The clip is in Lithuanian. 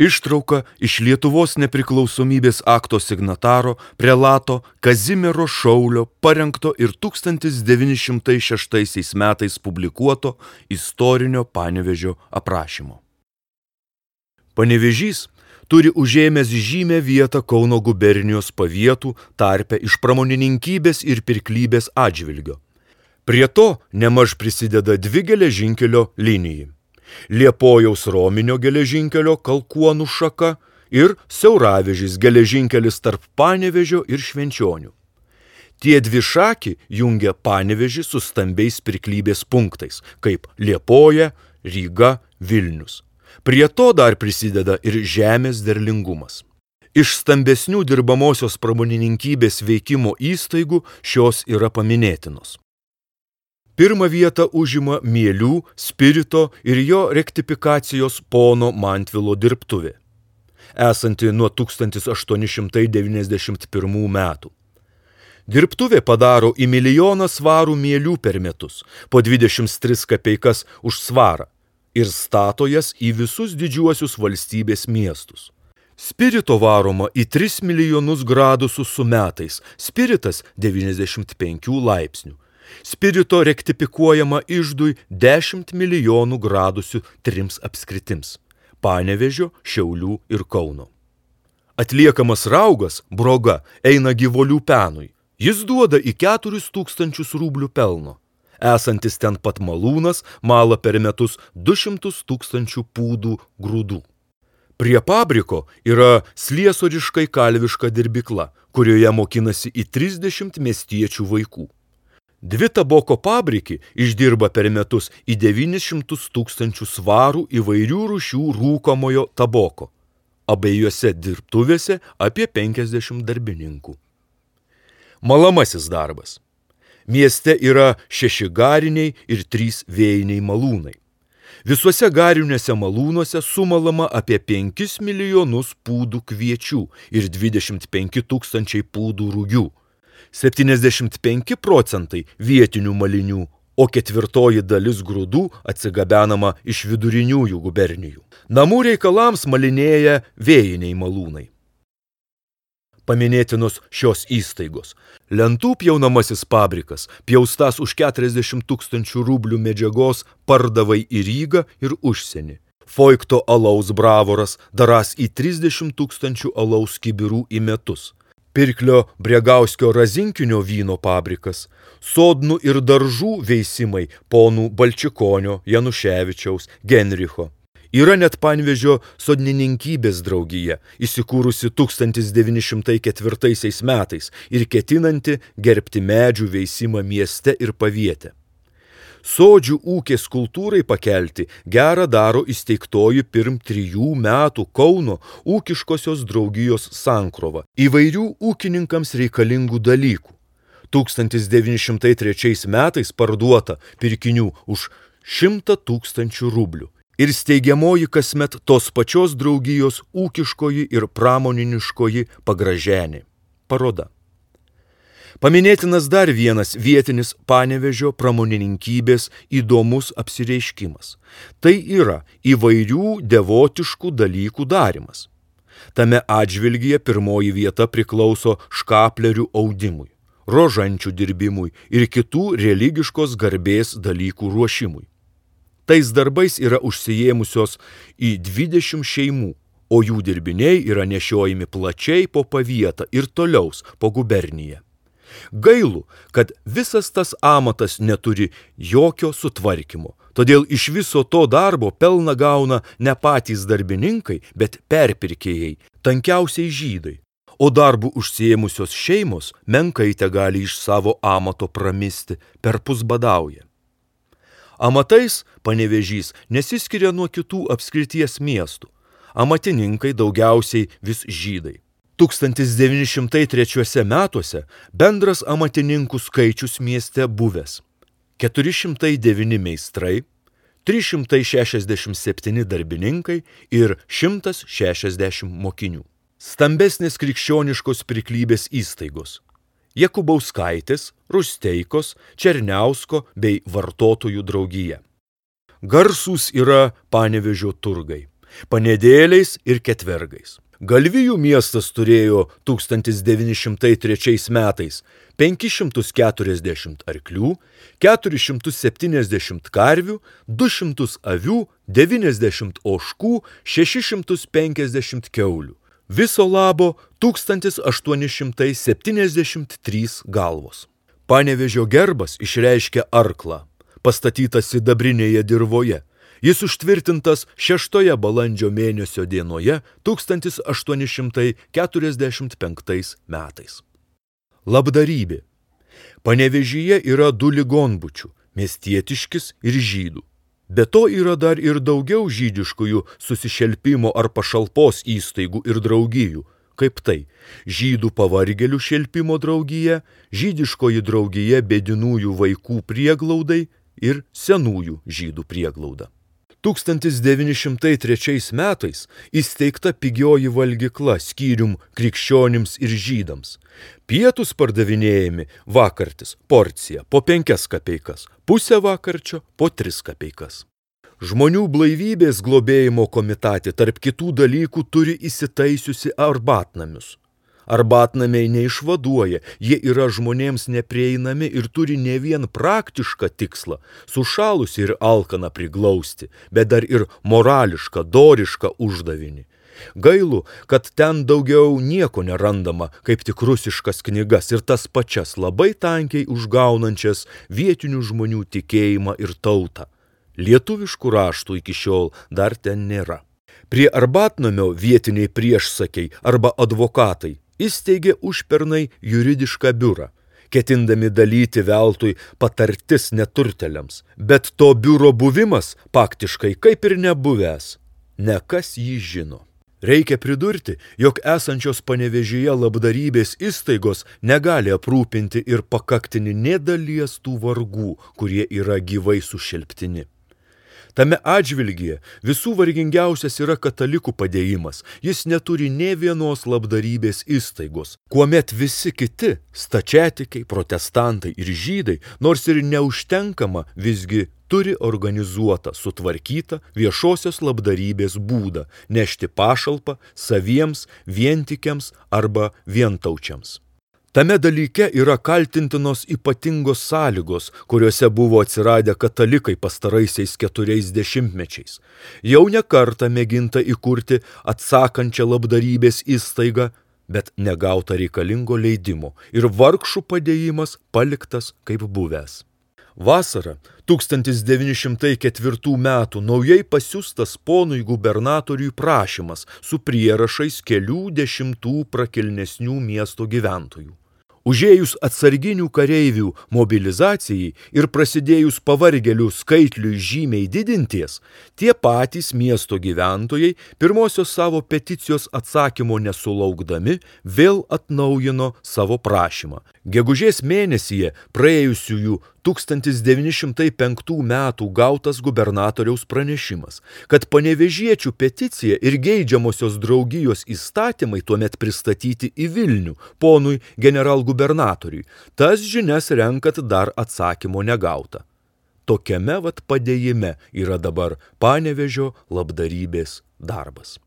Ištrauka iš Lietuvos nepriklausomybės akto signataro prelato Kazimiero Šaulio parengto ir 1906 metais publikuoto istorinio Panevėžio aprašymo. Panevėžys turi užėmęs žymę vietą Kauno gubernijos pavietų tarpe iš pramonininkybės ir pirklybės atžvilgio. Prie to nemaž prisideda dvi geležinkelio linijai. Liepojaus Rominio geležinkelio Kalkuonų šaka ir Siauravežis geležinkelis tarp Panevėžio ir Švenčionių. Tie dvi šaki jungia Panevėžį su stambiais pirklybės punktais, kaip Liepoja, Ryga, Vilnius. Prie to dar prisideda ir žemės derlingumas. Iš stambesnių dirbamosios pramonininkybės veikimo įstaigų šios yra paminėtinos. Pirmą vietą užima mielių, spirito ir jo rektifikacijos pono Mantvilo dirbtuvė, esanti nuo 1891 metų. Dirbtuvė padaro į 1 000 000 svarų mielių per metus, po 23 kapeikas už svarą, ir stato jas į visus didžiuosius valstybės miestus. Spirito varoma į 3 milijonus gradusų su metais, spiritas 95 laipsnių. Spirito rektifikuojama iždui 10 milijonų gradusių 3 apskritims – Panevėžio, Šiaulių ir Kauno. Atliekamas raugas, broga, eina gyvulių penui. Jis duoda į 4000 rublių pelno. Esantis ten pat malūnas mala per metus 200 000 pūdų grūdų. Prie fabriko yra sliesoriškai kalviška dirbykla, kurioje mokinasi į 30 miestiečių vaikų. 2 taboko fabriki išdirba per metus į 900 000 svarų įvairių rūšių rūkomojo taboko. Abiejose dirbtuvėse apie 50 darbininkų. Malamasis darbas. Mieste yra 6 gariniai ir 3 vėjiniai malūnai. Visuose gariniuose malūnuose sumalama apie 5 milijonus pūdų kviečių ir 25 000 pūdų rūgių. 75% vietinių malinių, o 1/4 dalis grūdų atsigabenama iš viduriniųjų gubernijų. Namų reikalams malinėja vėjiniai malūnai. Paminėtinos šios įstaigos. Lentų pjaunamasis fabrikas, pjaustas už 40 000 rublių medžiagos, pardavai į Rygą ir užsienį. Foikto alaus bravoras daras į 30 000 alaus kibirų į metus. Pirklio Bregauskio razinkinio vyno fabrikas, sodnų ir daržų veisimai ponų Balčikonio, Januševičiaus, Genricho. Yra net Panevėžio sodininkybės draugija, įsikūrusi 1904 metais ir ketinanti gerbti medžių veisimą mieste ir pavietę. Sodžių ūkės kultūrai pakelti gerą daro įsteigtoji pirm 3 metų Kauno ūkiškosios draugijos sankrova įvairių ūkininkams reikalingų dalykų. 1903 metais parduota pirkinių už 100 000 rublių ir steigiamoji kasmet tos pačios draugijos ūkiškoji ir pramoniniškoji pagraženė paroda. Paminėtinas dar vienas vietinis Panevėžio pramonininkybės įdomus apsireiškimas. Tai yra įvairių devotiškų dalykų darymas. Tame atžvilgyje pirmoji vieta priklauso škaplerių audimui, rožančių dirbimui ir kitų religiškos garbės dalykų ruošimui. Tais darbais yra užsiėmusios į 20 šeimų, o jų dirbiniai yra nešiojami plačiai po pavietą ir toliaus po guberniją. Gailu, kad visas tas amatas neturi jokio sutvarkymo, todėl iš viso to darbo pelną gauna ne patys darbininkai, bet perpirkėjai, tankiausiai žydai, o darbų užsiėmusios šeimos menkai tegali iš savo amato pramisti, perpus badauja. Amatais Panevėžys nesiskiria nuo kitų apskrities miestų. Amatininkai daugiausiai vis žydai. 1903 metuose bendras amatininkų skaičius mieste buvęs 409 meistrai, 367 darbininkai ir 160 mokinių. Stambesnės krikščioniškos pirklybės įstaigos – Jakubauskaitės, Rusteikos, Černiausko bei vartotojų draugija. Garsūs yra Panevėžio turgai. panėdėliais ir ketvergais. Galvijų miestas turėjo 1903 metais 540 arklių, 470 karvių, 200 avių, 90 ožkų, 650 kiaulių. Viso labo 1873 galvos. Panevėžio gerbas išreiškia arklą, pastatytas sidabrinėje dirvoje. Jis užtvirtintas 6 balandžio mėnesio dienoje 1845 metais. Labdarybė. Panevėžyje yra 2 ligonbučių – miestietiškis ir žydų. Be to yra dar ir daugiau žydiškųjų susišelpimo ar pašalpos įstaigų ir draugijų, kaip tai žydų pavargėlių šelpimo draugija, žydiškoji draugija bėdinųjų vaikų prieglaudai ir senųjų žydų prieglauda. 1903 metais įsteigta pigioji valgykla skyrium krikščionims ir žydams. Pietus pardavinėjami vakartis porcija po 5 kapeikas, pusę vakarčio po 3 kapeikas. Žmonių blaivybės globėjimo komitatė tarp kitų dalykų turi įsitaisiusi arbatnamius. Arbatnamiai neišvaduoja, jie yra žmonėms neprieinami ir turi ne vien praktišką tikslą – sušalusi ir alkaną priglausti, bet dar ir morališką, dorišką uždavinį. Gailu, kad ten daugiau nieko nerandama, kaip tik rusiškas knygas ir tas pačias labai tankiai užgaunančias vietinių žmonių tikėjimą ir tautą. Lietuviškų raštų iki šiol dar ten nėra. Prie arbatnamio vietiniai priešsakiai arba advokatai įsteigė užpernai juridišką biurą, ketindami dalyti veltui patartis neturteliams, bet to biuro buvimas faktiškai kaip ir nebuvęs. Nekas jį žino. Reikia pridurti, jog esančios Panevėžyje labdarybės įstaigos negali aprūpinti ir pakaktinį nė dalies tų vargų, kurie yra gyvai sušelptini. Tame atžvilgyje visų vargingiausias yra katalikų padėjimas. Jis neturi nė vienos labdarybės įstaigos, kuomet visi kiti stačiatikiai, protestantai ir žydai, nors ir neužtenkama, visgi turi organizuotą, sutvarkytą viešosios labdarybės būdą nešti pašalpą saviems, vientikiams arba vientaučiams. Tame dalyke yra kaltintinos ypatingos sąlygos, kuriuose buvo atsiradę katalikai pastaraisiais 40 mečiais. Jau ne kartą mėginta įkurti atsakančią labdarybės įstaigą, bet negauta reikalingo leidimo ir vargšų padėjimas paliktas kaip buvęs. Vasarą 1904 metų naujai pasiųstas ponui gubernatoriui prašymas su prierašais kelių dešimtų prakilnesnių miesto gyventojų. Užėjus atsarginių kareivių mobilizacijai ir prasidėjus pavargėlių skaitliui žymiai didinties, tie patys miesto gyventojai pirmosios savo peticijos atsakymo nesulaukdami vėl atnaujino savo prašymą. Gegužės mėnesyje praėjusiųjų 1905 metų gautas gubernatoriaus pranešimas, kad panevėžiečių peticija ir geidžiamosios draugijos įstatymai tuomet pristatyti į Vilnių ponui generalgubernatoriui. Tas žinias renkat dar atsakymo negauta. Tokiame padėjime yra dabar Panevėžio labdarybės darbas.